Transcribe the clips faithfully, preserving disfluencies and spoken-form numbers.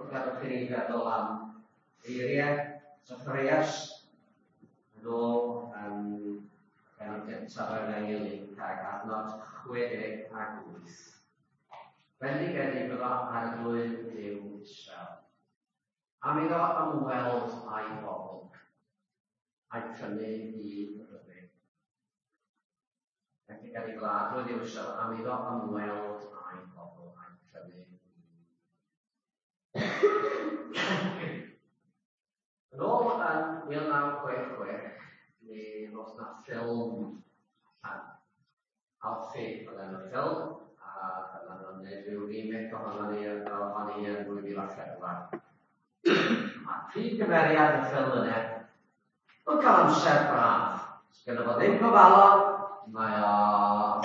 Gadewch i ni feddwl am eiriau Zacharias yn ôl yn bennod gyntaf o'r Efengyl Luc ag adnod chwe deg ag wyth. Bendigedig fyddo Arglwydd Duw Israel, am iddo ymweld â'i bobl, a'i prynu i ryddid. Bendigedig fyddo Arglwydd Duw Israel, am iddo ymweld â'i bobl, a'i prynu i. Yn ôl yn mil naw chwech chwech, mi ddoth 'na ffilm allan. Alfie oedd enw'r ffilm, a dyma nhw'n gwneud rhyw remake ohono ni, ohoni yn dwy fil a phedwar. Mae'r prif gymeriad y ffilm yna yn cael amser braf. Sgynno fo ddim gofalon, mae o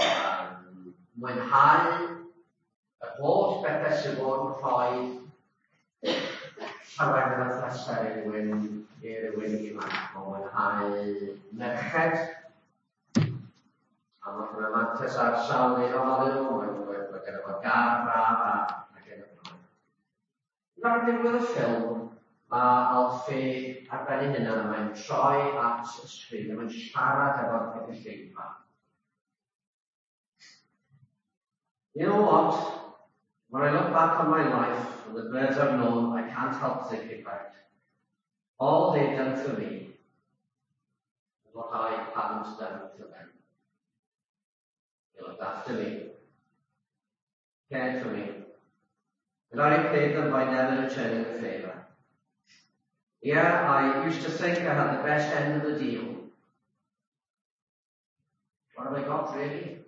yn mwynhau yr holl bethau sydd fod yn rhoi llawenydd a phleser i rywun, i rywun ifanc. Mae'n mwynhau merched, a mae hwnna mantais ar sawl un ohonyn nhw, mae, mae, mae genno fo gar braf a ac yn y blaen. Ar ddiwedd y ffilm, mae Alfie ar ben ei hunan a mae'n troi at y sgrin a mae'n siarad efo'r gynulleidfa. You know what? When I look back on my life and the birds I've known, I can't help thinking about all they've done for me and what I haven't done for them. They looked after me, cared for me, and I repaid them by never returning the favour. Yeah, I used to think I had the best end of the deal. What have I got, really?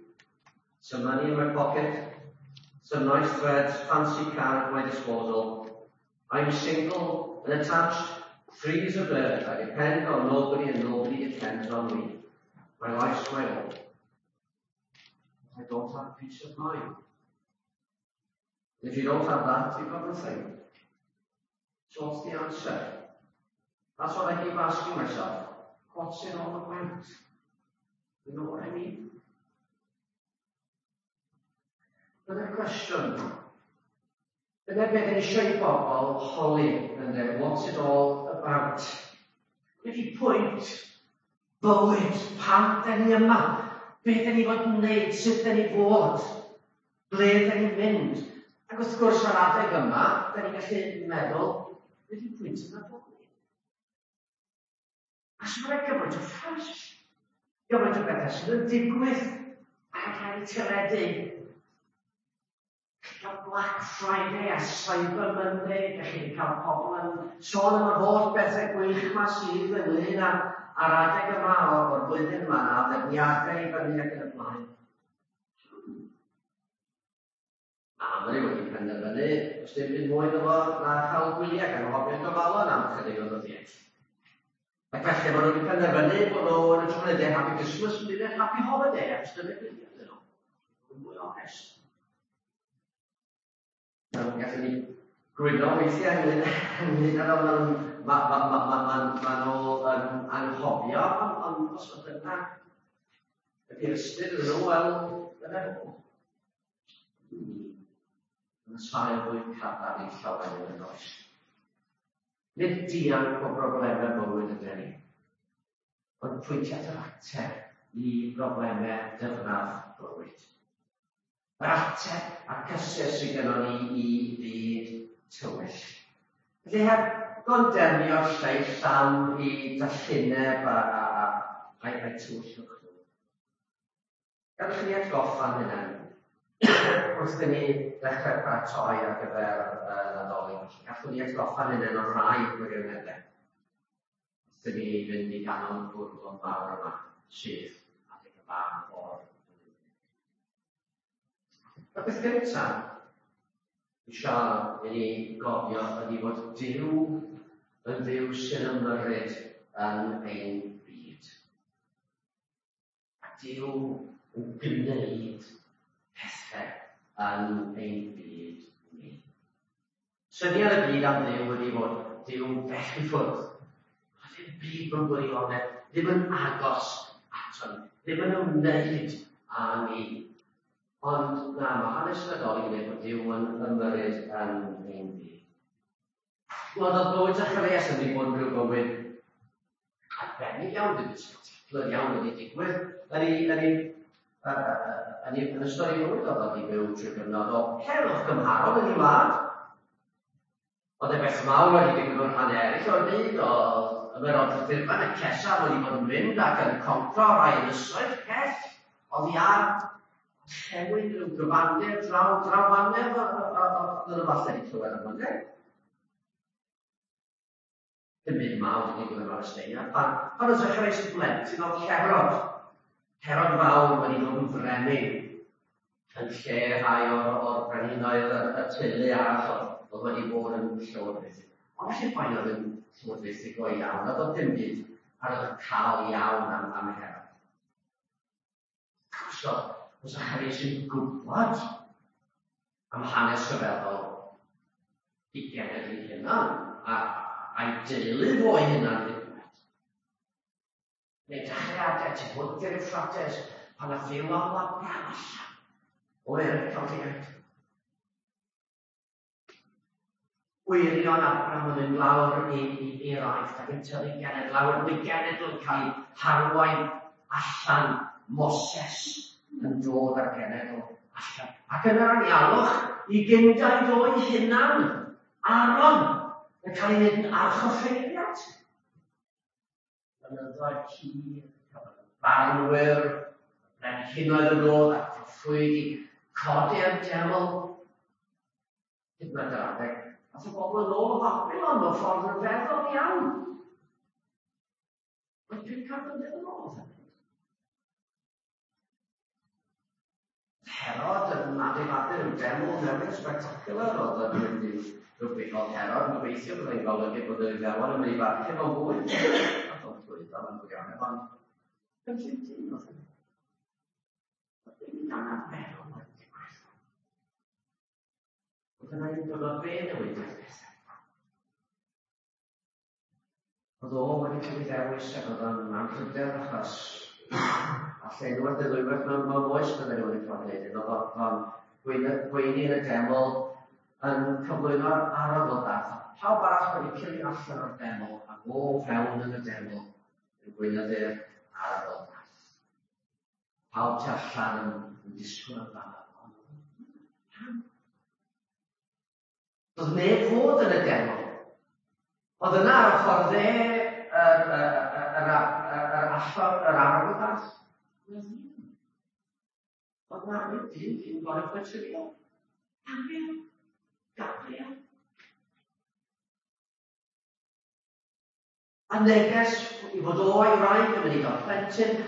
Some money in my pocket, some nice threads, fancy car at my disposal. I'm single and attached, free as a bird. I depend on nobody and nobody depends on me. My life's my own. I don't have peace of mind. And if you don't have that, you've got nothing. So what's the answer? That's what I keep asking myself. What's it all about? You know what I mean? Dyna'r cwestiwn. Dyna beth yn eisiau i bobl holi yn dweud, what's it all about? Be di pwynt bywyd? Pam da ni yma? Be da ni fod yn wneud? Sut da ni fod? Ble da ni'n mynd? Ac wrth gwrs ar adeg yma, da ni'n gallu meddwl, be di pwynt y Nadolig? A sy'n rhaid gymaint o ffas, gymaint o bethau sydd yn digwydd ar y rhai teledu. Cael Black Friday a Cyber Monday, gallu ni cael pobl yn sôn am yr holl bethau gwych yma sydd ynglyn â a'r adeg yma o'r, o'r flwyddyn yma, a ddefniadau i fyny ac yn y blaen. Mae Amri wedi penderfynu, os dim byd mwy iddo fo na chael gwyliau gan anghofio gofalon am chydig o ddyddiau. Ac felly maen nhw wedi penderfynu bod nhw yn y tro dweud Happy Christmas yn dweud Happy Holiday, achos dyna gwyliau ydyn nhw. Yn mwy onest. Mae'n gallu ni gwyno weithiau ynglyn ynglyn â fel maen ma, ma, ma, ma, ma, ma nhw yn anghofio, ond on, os oedd dyna ydy'r ystyr iddyn nhw, wel, dyna nhw. Yn y sail fwy cadarn i llawer yn oes. Nid dianc o broblemau bywyd ydyn ni, ond pwyntio at yr ateb i broblemau dyfnaf bywyd. Yr ateb a'r cysur sydd gynnon ni i fyd tywyll. Felly heb gondemnio'r lleill am i dallineb a, a, a, a'i, a'i tywyllwch nhw. Gadewch i ni atgoffa'n hunain wrth i ni ddechrau paratoi ar gyfer y Nadolig. Gallwn ni atgoffa'n hunain o rai gwirioneddau wrth i ni fynd i ganol y bwrlwm mawr yma sydd adeg y fan o'r flwyddyn. Y peth gyntaf eisiau i ni gofio ydy fod Duw yn Dduw sy'n ymyrryd yn ein byd. A Duw yn gwneud pethau yn ein byd ni. Syniad y byd am Dduw ydy fod Duw'n bell i ffwrdd. A ddim byd mewn gwirionedd, ddim yn agos ato ni, ddim yn ymwneud â ni. Ond na, mae hanes Nadolig yn dweud bod Duw yn ymyrryd yn ein byd. Wel, oedd bywyd Zacharias yn wedi bod yn rhyw bywyd arbennig iawn, ddim spectacular iawn wedi digwydd yn ei, yn ei, yn ei, yn ystod ei fywyd. Oedd wedi byw trwy gyfnod o heddwch gymharol yn ei wlad. Oedd e beth mawr wedi digwydd mewn rhannau eraill o'r byd, oedd ymerodraeth Rhufain, y Cesar wedi bod yn mynd ac yn concro rai ynysoedd pell oddi ar orllewin rhyw gyfandir draw, draw fanedd, oedd nhw falle wedi clywed am hynny. Dim byd mawr wedi digwydd ym Mhalesteina. Pan, pan oedd Zacharias yn blentyn, oedd Herod, Herod fawr wedi dod yn frenin yn lle rhai o'r, o'r brenhinoedd y, y teulu arall oedd, oedd wedi bod yn llywodraethu. Ond felly poen oedd yn llywodraethu go iawn, oedd dim byd ar y cael iawn am, am Herod. So, oedd Zacharias yn gwybod am hanes rhyfeddol i genedl ei hunan, a a'i deulu fo ei hunan hyd yn oed. Neu dechreuadau tu hwnt i'r Euphrates, pan nath Dduw alw Abraham allan o Ur y Caldeaid. Wyrion Abraham yn mynd lawr i, i, i'r Aifft ac yn tyfu genedl lawr, mae genedl yn cael ei harwain allan, Moses yn dod â'r genedl allan. Ac yn yr anialwch i gyndaid o'i hunan, Aaron, yn cael ei wneud yn archoffeiriad. Blynyddoedd hir, cafodd y barnwyr, y brenhinoedd yn dod a'r proffwydi, codi'r deml. Hyd yn oed yr adeg, ath y bobl yn ôl o Babilon mewn ffordd ryfeddol iawn. Mae pum can mlynedd yn ôl oedd hynny. Herod yn adeiladu rhyw deml newydd spectacular, oedd yn mynd i rhywbeth oedd Herod yn gobeithio byddai'n golygu bod yr Iddewon yn mynd i barchu fo fwy. Nath o'n llwyddo mewn gwirionedd, ond cynllun dyn oedd hynny. Oedd ddim yn anarferol wedi digwydd. Oedd yna un gyfnod fe newidiodd pethau. Oedd o wedi cael ei ddewis ac oedd o'n anrhydedd achos alle unwaith neu ddwywaith mewn, mewn oes bydden nhw wedi cael gwneud hyn. Oedd o'n gweini yn y deml yn cyflwyno'r arogl dath. Pawb arall wedi cilio allan o'r deml ac o fewn yn y deml yn gweinyddu'r arogl dath. Pawb tu allan yn, yn disgwyl amdano. Pam? Doedd neb fod yn y deml. Oedd yna ar y ffordd dde yr, yr, yr, yr, allor, yr arogl dath. Oedd na ryw dyn dyn goruchwyliol. Gabriel. Gabriel. A neges i fod o a'i wraig yn mynd i gael plentyn,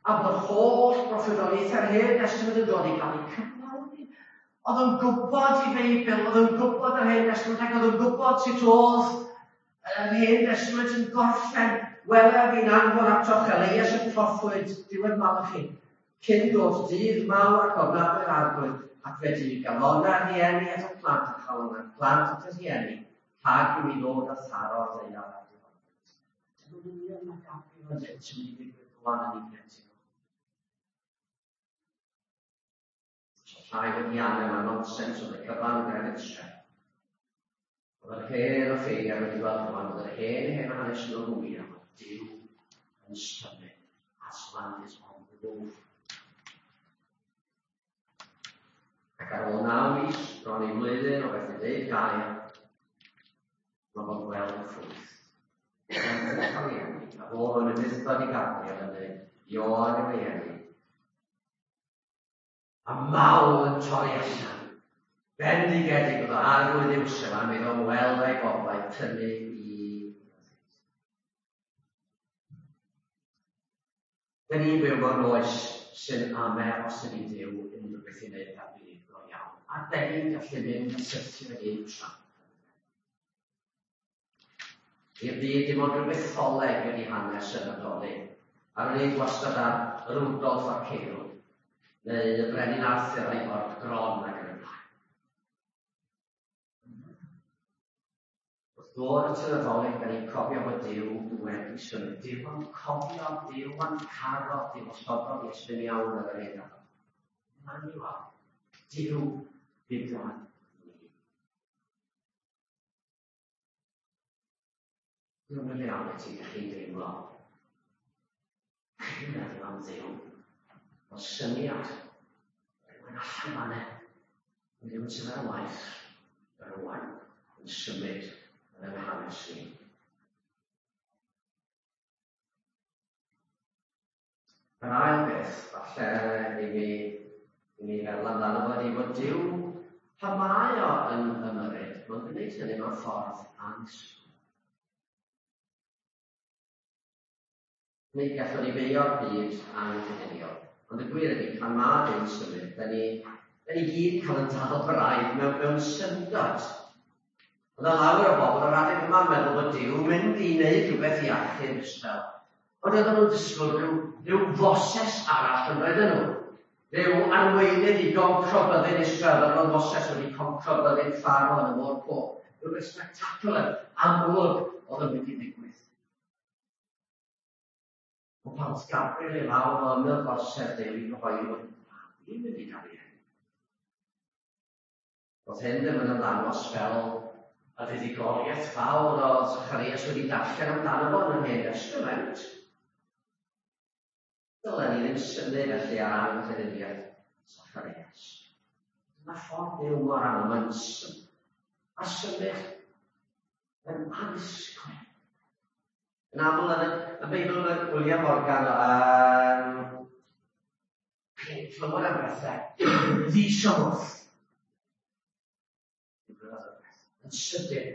a bod holl broffwydoliaethau'r Hen Destament yn dod i gael eu cyflawni. Oedd o'n gwybod i Feibl, oedd o'n gwybod yr Hen Destament, ac oedd o'n gwybod sut oedd yr Hen Destament yn gorffen. Wele fi'n anfon atoch Elias y proffwyd, diwedd Malachi, cyn dod dydd mawr ac ofnadwy'r Arglwydd, ac fe di galonau'r rhieni at y plant a chalonau'r plant at y rhieni, rhag i mi ddod a tharo'r ddaear ar diwrnod. Dyma'n union mae Gabriel yn dweud sy'n mynd i ddigwydd rwan yn ei plentyn. So rhai wedi angen mae nonsens oedd y cyfan yn gytre. Oedd yr hen offeiriad wedi gweld rwan, oedd yr hen hen hanes nhw'n wir am Duw yn symud. Aslan is on the move. Ac ar ôl naw mis, bron i flwyddyn o beth i ddeud gair, mae fo'n gweld y ffrwyth. Mae'n cael ei enwi, a fo yn ufudd-dod i Gabriel yn dweud, Ioan yw ei enwi. A mawl yn torri allan. Bendigedig oedd o Arglwydd Iwsel am iddo weld ei bobl tynnu i. Dyn ni'n byw mewn oes sy'n ame os ydy Duw unrhyw beth i wneud â'r byd go iawn. A dyn ni'n gallu mynd a syrthio i'r trap. I'r byd dim ond rhyw mytholeg ydy hanes y Nadolig. A'r un gwastad ar Rudolf a Ceirw, neu y Brenin Arthur a'i ford gron ac yn y blaen. Wrth ddod at y Nadolig, da ni'n cofio bod Duw wedi symud. Duw yn cofio, Duw yn caro, Duw osododd Iesu'n iawn ar yr un adeg. Emmanuel, Duw gyda ni. Dwi'n realiti ydych chi'n deimlo. Chi'n meddwl am Dduw. O syniad. Rhywun allan fan'na. Rhywun sydd ar waith. Rhywun yn symud yn ein hanes ni. Yr ail beth, falle i mi, i mi feddwl amdano fo, ydy fod Duw, pan mae o yn ymyrryd, mae'n gwneud hynny mewn ffordd annisgwyl. Neu gallwn ni feio'r byd anghyduniol. Ond y gwir ydy, pan mae Duw'n symud, da ni, da ni gyd cael yn dal braidd mewn, mewn syndod. Ond yna lawer o bobl ar adeg yma'n meddwl bod Duw mynd i wneud rhywbeth i achub Israel. Ond oedden nhw'n disgwyl rhyw, rhyw Foses arall yn roedden nhw. Rhyw arweinydd i goncro byddin Israel, fel roedd Moses wedi concro byddin Pharaoh yn y Môr Coch. Rhywbeth spectacular, amlwg oedd yn mynd i ddigwydd. Ond pan oedd Gabriel i lawr o ymyl gorsedd Duw i gyhoeddi bod babi'n mynd i gael ei eni. Oedd hyn ddim yn ymddangos fel y fuddugoliaeth fawr oedd Zacharias wedi darllen amdano fo yn yr Hen Testament. Dylen ni ddim synnu felly ar anghrediniaeth Zacharias. Dyma ffordd Duw mor aml, mae'n symud a symud yn annisgwyl. Yn aml yn y, y Beibl mae William Morgan um, chi'n clywed am bethau ddi-symwth. Digwyddodd y peth. Yn sydyn,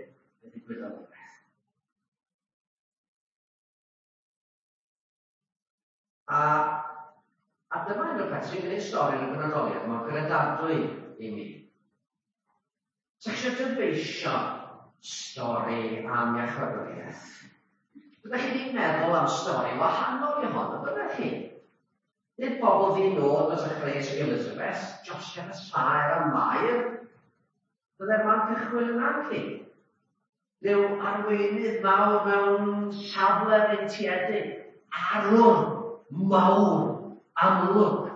y digwyddodd y peth. A, a dyma un o'r peth sy'n gwneud stori yn y benodoliad mor gredadwy i mi. Sa chi eisiau dyfeisio stori am iachawdwriaeth? Byddech chi ddim meddwl am stori wahanol i hon, byddech chi? Nid bobl ddi-nod o Zacharias ac Elizabeth, Joseph a Saer a Mair. Byddai'r man cychwyn yna chi. Rhyw arweinydd mawr mewn safle freintiedig, arwr mawr, amlwg.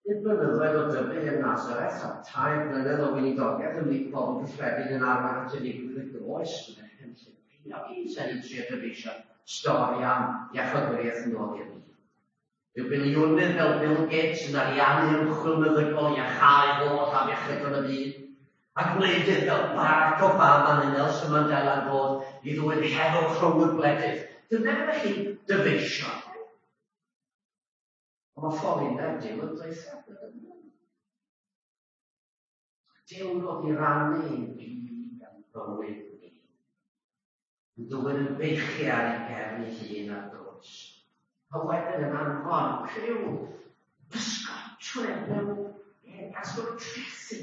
Nid blynyddoedd o dyfu yn Nazareth a tair blynedd o weinidogaeth ymhlith pobl gyffredin yn arwain at unigrwydd y groes, byddai'r cynllun ceiniog i sa'n i trio dyfeisio stori am iachawdwriaeth yn ôl i'r byd. Rhyw biliwnydd fel Bill Gates yn ariannu ymchwil meddygol i iachau holl afiechydon y byd, a gwleidydd fel Barack Obama neu Nelson Mandela yn dod i ddwyn heddwch rhwng y gwledydd. Dyna fyddech chi'n dyfeisio. Ond mae ffolineb Duw yn dweitha. Duw yn dod i rannu ein byd a'n bywyd ni. Yn dwyn yn beichu ar ei gefn ei hun ar groes. A wedyn yn anfon criw pysgotwyr mewn casglwr trethi.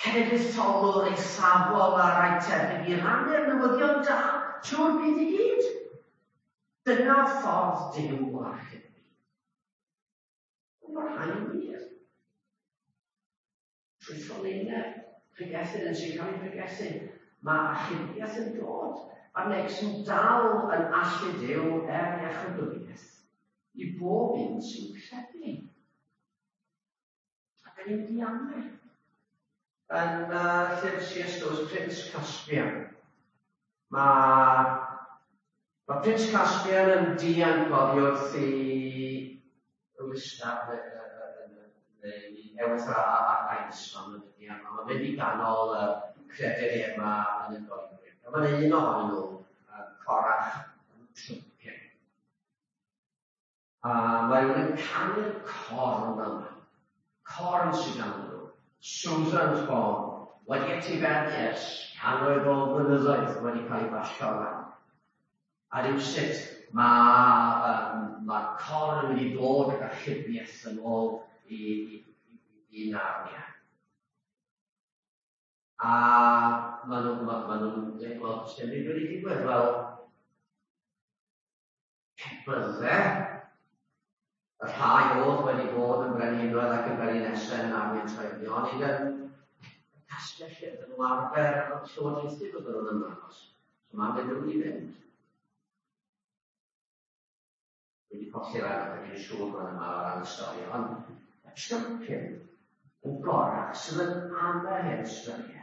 Cenedlaetholwr eithafol a rai tebyg i rannu'r newyddion da trwy'r byd i gyd. Dyna ffordd Duw o achub. Ond mae'r rhain wir. Trwy ffolineb, pregethu yn sy'n cael ei pregethu, mae achubiaeth yn dod. Mae'r neges yn dal yn allu Duw er iachawdwriaeth i bob un sy'n credu. A da ni'n mynd i amau. Yn uh, llyfr C S Lewis, Prince Caspian, mae, mae Prince Caspian yn dianc oddi wrth i Lista, neu Ewythr a, a, a Isfan yn y dianc. Mae'n mynd i ganol y creaduriaid yma yn y goedwig. A mae'n un ohonyn nhw, uh, corach yn trympio. A mae rhywun yn canu'r corn yma. Corn sydd ganddyn nhw. Susan's Horn, wedi etifeddu ers cannoedd o flynyddoedd wedi cael ei basio lan. A rywsut mae um, mae'r corn yn mynd i ddod ag achubiaeth yn ôl i, i, i, i Narnia. A maen nhw'n ma, ma nhw'n dweud, wel, sdim byd wedi digwydd, wel, pe bydde y rhai oedd wedi bod yn brenhinoedd ac yn brenhinesau yn Narnia Trefion, i yn castell lle ydyn nhw arfer llywodraethu bydden nhw'n ymddangos. So mae'n mynd nhw'n i fynd. Wedi colli'r ail, dwi'n siŵr bod yma o ran y stori, ond y trympyn yn gorach sydd yn amau hen storiau.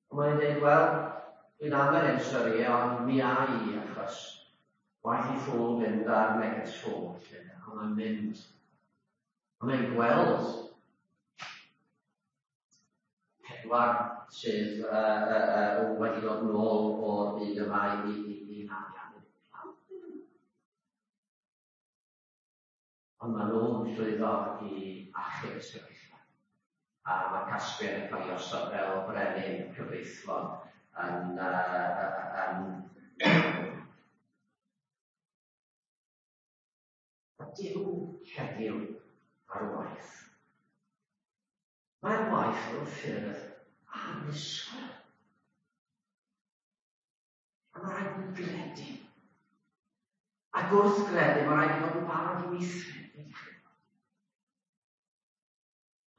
Ond mae'n dweud, wel, dwi'n aml yn sori, ond mi a i, achos waeth i ffwl fynd ar neges ffwl, lle, ond mae'n mynd. Ond mae'n gweld pedwar sydd uh, uh, uh, wedi dod nôl o'r byd yma i, i, i arian. Ond maen nhw'n llwyddo i achub y sefyllfa. A mae Caspian yn cael ei osod fel brenin cyfreithlon yn, uh, yn Mae Duw heddiw ar waith. Mae'r waith mewn ffyrdd annisgwyl. A mae rhaid ni gredu. Ac wrth gredu, mae rhaid ni fod yn barod i weithredu.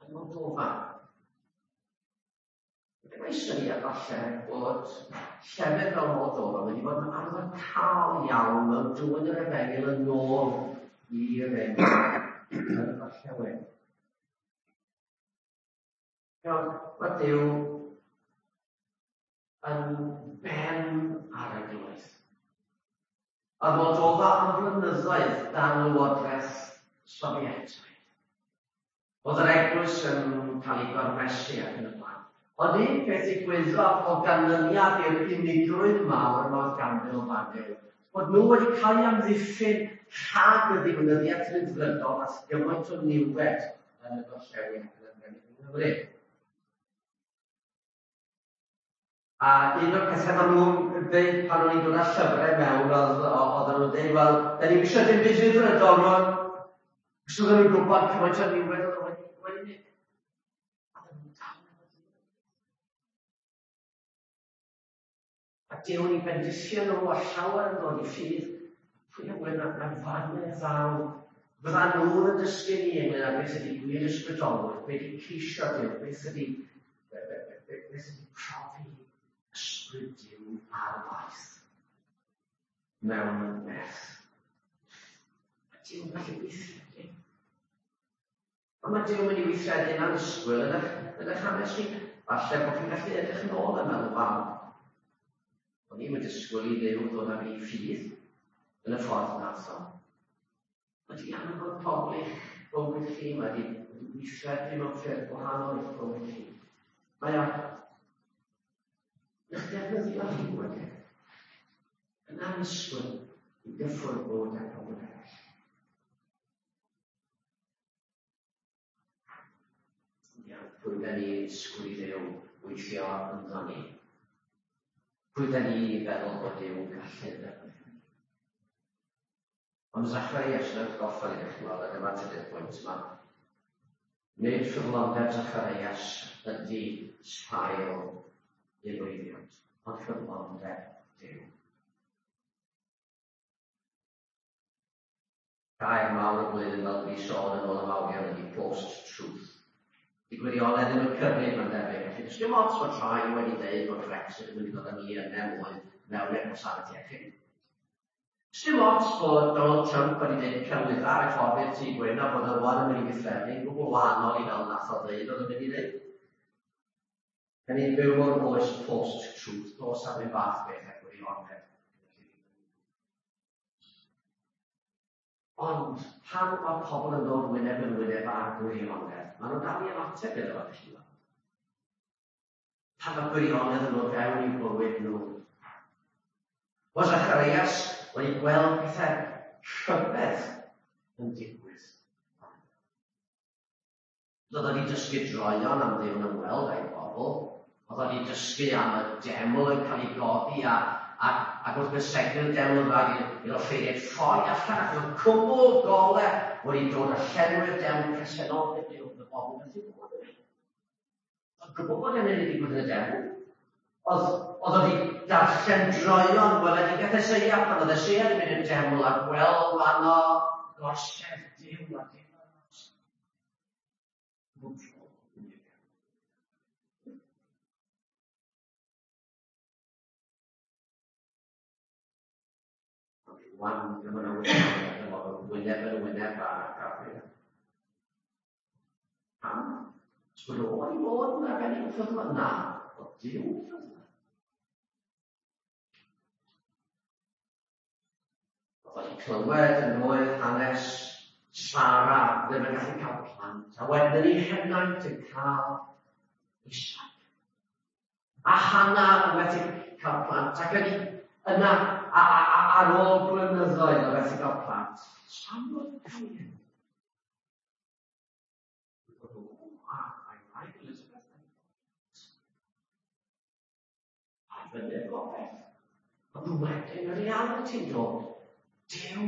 Yn Moldova. Mae syniad falle bod llefydd fel Moldova wedi bod yn arwyddocaol iawn mewn dwyn yr efengyl yn ôl i'r enw yn y gorllewin. Iawn, mae Duw yn ben ar eglwys. A Moldova am flynyddoedd dan lywodraeth Sofietaidd. Oedd yr eglwys yn cael ei gormesu ac yn y blaen. Ond un peth ddigwyddodd o ganlyniad i'r unigrwydd mawr yma oedd ganddyn nhw fan hyn, bod nhw wedi cael eu amddiffyn rhag y ddiwinyddiaeth rhyddfrydol at gymaint o niwed yn y gorllewin ac yn y Nghymru. A un o'r pethau maen nhw'n dweud pan o'n i'n dod â llyfrau mewn, oedd, oedden nhw'n dweud, wel, da ni'n eisiau dim byd rhyddfrydol rwan. Cos oedden nhw'n gwybod cymaint o niwed oedd wedi wedi mynd. A oedden nhw'n dal efo Duw. A Duw yn eu bendithio nhw a llawer yn dod i ffydd. Pwy a ŵyr na, na fan y ddaw. Fydda nhw'n yn dysgu ni ynglyn â beth ydy gwir ysbrydolwyr, beth ydy ceisio Duw, beth ydy, beth ydy profi ysbryd Duw ar waith mewn nerth. Mae Duw'n gallu gweithredu. Ond mae Duw'n mynd i weithredu yn annisgwyl yn eich, yn eich hanes chi. Falle bod chi'n gallu edrych yn ôl a meddwl, waw, o'n i'n disgwyl i Dduw ddod â fi i ffydd yn y ffordd nath o. Mae wedi anfon pobl i'ch bywyd chi, mae wedi, wedi gweithredu mewn ffyrdd gwahanol i'ch bywyd chi. Mae o eich defnyddio chi wedyn yn annisgwyl i gyffwrdd bywyd â pobl eraill. Ia, pwy da ni disgwyl i Dduw weithio ynddo ni? Pwy da ni feddwl bod Duw'n gallu ddefnyddio ni? Ond Zacharias yn atgoffa ni, chi'n weld, a dyma'r trydydd pwynt yma. Nid ffyddlondeb Zacharias ydy sail i lwyddiant, ond ffyddlondeb Duw. Gair mawr y blwyddyn fel dwi sôn yn ôl y mawrion ydy post-truth. Di gwirionedd ddim yn cyfrif mae'n debyg. Felly, does dim ots fod rhai wedi dweud bod Brexit yn mynd i ddod â ni yn mwy mewn i'r gwasanaeth iechyd. Does dim ots bod Donald Trump wedi dweud celwyddau ar y ffordd i'r Tŷ Gwyn a bod y rwan yn mynd i weithredu yn gwbl wahanol i fel nath o ddeud oedd yn mynd i ddeud. Da ni'n byw mewn oes post-truth, does am un fath beth â gwirionedd. Ond pan mae pobl yn dod wyneb yn wyneb â'r gwirionedd, maen nhw'n dal i ymateb iddo fo, felly. Pan mae gwirionedd yn dod fewn i'w bywyd nhw. Oedd Zacharias wedi gweld pethau rhyfedd yn digwydd. Oedd wedi dysgu droeon am Dduw'n ymweld â'i bobl. Oedd wedi dysgu am y deml yn cael ei godi a, ac, ac wrth gysegru'r deml yn rhaid i'r offeiriaid ffoi allan ac oedd cwmwl gole wedi dod a llenwi'r deml presenoldeb Duw oedd y bobl methu bod yna. Oedd gwybod bod hynny wedi digwydd yn y deml. Oedd, oedd wedi darllen droeon weledigaeth Eseia pan oedd Eseia wedi mynd i'r deml a gweld fanno gorsedd Duw a Duw ar nos. Rwan, dyma nhw wyneb yn wyneb â Gabriel. Pam? Os bod o wedi bod yn arbennig o ffyddlon? Na. o Duw yn ffyddlon. Oedd wedi clywed yn oedd hanes Sara ddim yn gallu cael plant, a wedyn yn ei henaint yn cael Isaac. A Hana yn methu cael plant, ac yn yna a, a, a, ar ôl blynyddoedd o methu cael plant, Samuel yn cael ei enw. A wraig Elizabeth yn a fyny'r gobaith. Ond wedyn y realiti'n dod. Duw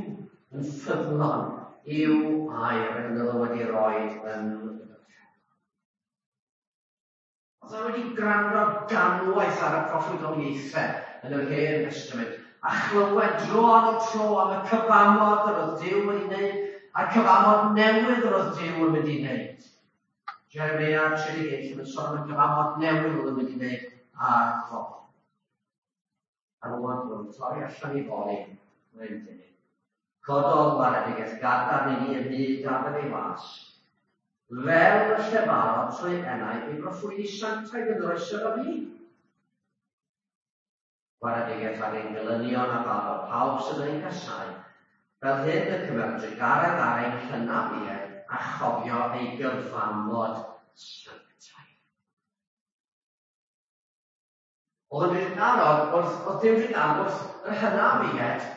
yn ffyddlon i'w air yn oedd wedi rhoi yn y. Oedd e wedi gwrando ganwaith ar y proffwydoliaethau yn yr Hen Testament a chlywed dro ar ôl tro am y cyfamod yr oedd Duw wedi wneud a'r cyfamod newydd yr oedd Duw yn mynd i wneud. Jeremia tri deg un yn sôn am y cyfamod newydd oedd yn mynd i wneud a'r bobl. A rwan bod yn torri allan i foli, mae'n dweud. Cododd waredigaeth gadarn i ni ym myd Dafydd ei was, fel y llefarodd trwy enau ei broffwydi sanctaidd yn yr oesoedd o fyd. Waredigaeth ar ein gelynion a faddo pawb sydd yn ein casáu, fel hyn y cymer drugaredd ar ein hynafiaid a chofio ei gyfamod sanctaidd. Oedd yn drugarog wrth, oedd Duw drugarog wrth yr hynafiaid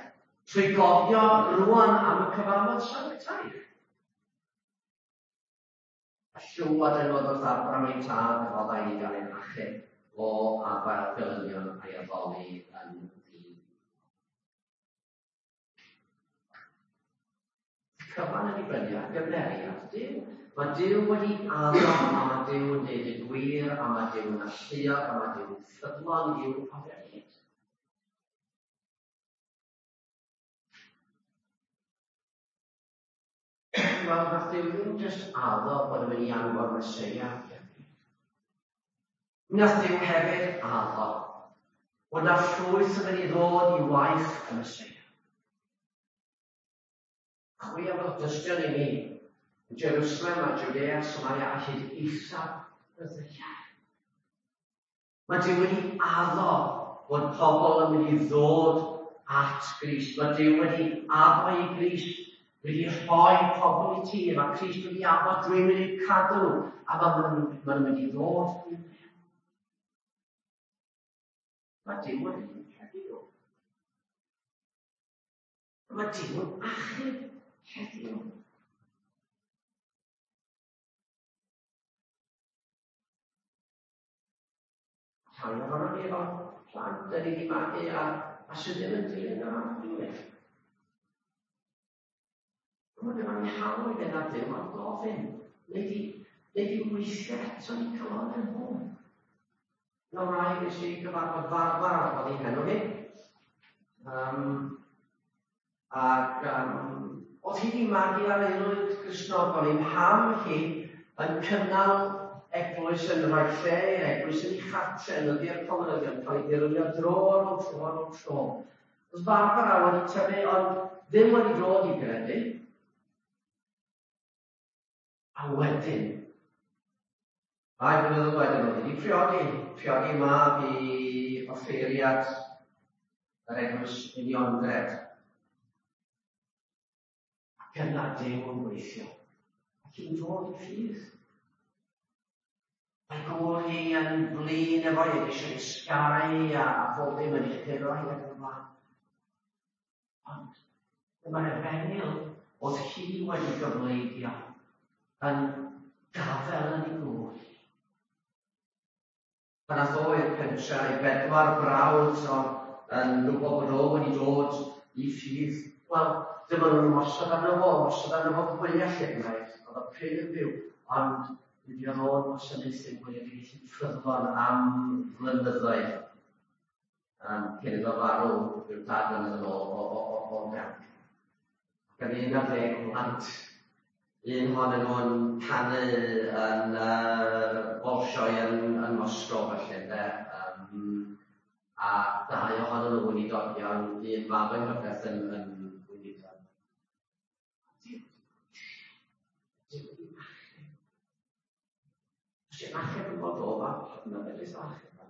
trwy gofio rwan am y cyfamod sanctaidd. A llywad yn oedd wrth Abraham ei tad a roddai i gael ei achub o afael gelynion a'i addoli yn ddi. Cyfan yn dibynnu ar gymeriad Duw. Mae Duw wedi addo a mae Duw yn deud y gwir a mae Duw yn alluog a mae Duw yn ffyddlon i'w addewid. Wel, nath Duw ddim jyst addo bod yn mynd i anfon Meseia. Nath Duw hefyd addo bod na llwyth yn mynd i ddod i waith y Meseia. Chwi am fod dystion i mi yn Jerusalem a Judea, Samaria a hyd eithaf y ddaear. Mae Duw wedi addo bod pobl yn mynd i ddod at Grist. Mae Duw wedi addo i Grist wedi rhoi pobl i ti. Mae Crist wedi addo dwi'n mynd i'w cadw nhw, a maen nhw'n maen nhw'n mynd i ddod i mewn. Mae Duw yn heddiw. Mae Duw yn achub heddiw. Rhai ohonon ni efo plant da ni wedi magu a, a sydd ddim yn dilyn yr Arglwydd. Mae gynnon ni hawl i fynd at Dduw a gofyn, neu di, neu di weithio eto ni calonnau nhw. No rai nes i gyfarfod Barbara oedd hi'n henw hi. Um, ac um, oedd hi wedi magu ar aelwyd Gristnogol. Ei mham hi yn cynnal eglwys yn rhoi lle i'r eglwys yn ei chartre, yn ydi'r comunyddion, cael ei dirwylio dro ar ôl tro ar ôl tro. Oedd Barbara wedi tyfu, ond ddim wedi dod i gredu. A wedyn, rai blynyddoedd wedyn, oedd wedi priodi, priodi mab i offeiriad yr eglwys Uniongred. Ac yna Duw yn gweithio, ac yn dod i ffydd. Mae gŵr hi yn flin efo hi, eisiau ysgaru a, a pob dim yn ei churo hi ac yn y blaen. Ond dyma'r efengyl oedd hi wedi gyfleidio yn gafel yn ei gŵr. Pan ath o i'r pentre, ei bedwar brawd o yn gwybod bod o wedi dod i ffydd, wel, dyma nhw'n ymosod arno fo, ymosod arno fo fwyaf lle gwnaeth. Oedd o prin yn byw, ond wedi oedd o'n wasanaethu gweledigaeth ffyddlon am flynyddoedd um, cyn iddo farw rhyw dair blynedd yn ôl o, o, o, o ganc. Ac yn un ar ddeg plant, un ohonyn nhw'n canu yn uh, Bolshoi yn, yn Moscow felly, ynde? Um, a dau ohonyn nhw weinidogion, un mab yng nghyfraith yn, yn weinidog. Duw wedi achub. Os ti'n achub yn bod o, mae fedrith achub.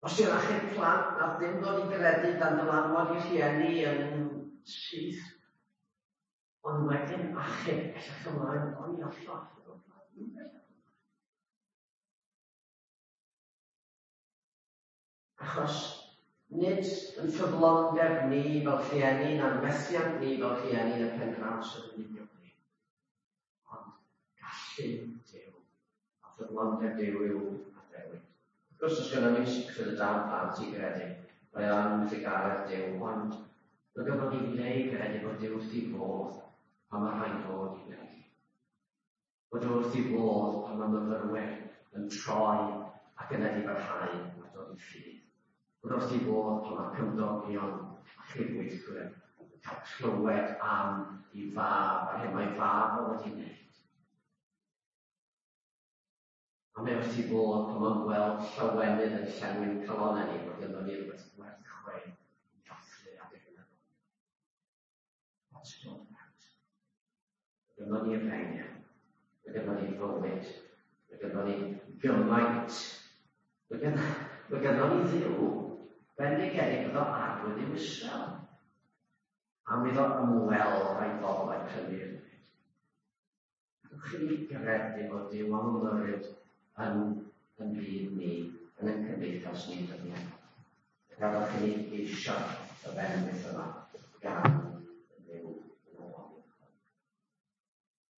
Os ti'n achub plant nath ddim dod i gredu dan dylanwad i rhieni yn syth, ond wedyn achub bellach ymlaen, o'n i allan achub o plant. Achos nid yn ffyddlondeb ni fel rhieni na'n methiant ni fel rhieni yn y pen draw sydd yn union ni, ond gallu Duw a ffyddlondeb Duw yw addewid. Wrth gwrs, os gynnon ni sicrwydd y daw plant i gredu, mae o'n trugaredd Duw, ond mae gynnon ni le i gredu bod Duw wrth ei fodd pan mae rhaid dod i gredu. Bod wrth ei fodd pan mae myfyrwyr yn troi ac yn edifarhau a dod i ffydd. Bod wrth ei fodd pan mae cymdogion a chydweithwyr yn cael clywed am ei fab a'r hyn mae fab o wedi wneud. A mae wrth ei fodd pan mae'n gweld llawenydd yn llenwi'n calonnau ni bod gynnon ni rhywbeth gwerth chweil i ddathlu adeg yna. What's it all about? Mae gynnon ni efengyl, mae gynnon ni fywyd, mae gynnon ni gymaint, mae gynnon ni Dduw. Bendigedig iddo arglwydd i'w Israel, am iddo ymweld â'i bobl a'i prynu i'r byd. Gadewch i ni gredu fod Duw am ymyrryd yn yn byd ni, yn ein cymdeithas ni dyddiau. Gadewch i ni geisio y bendith yma gan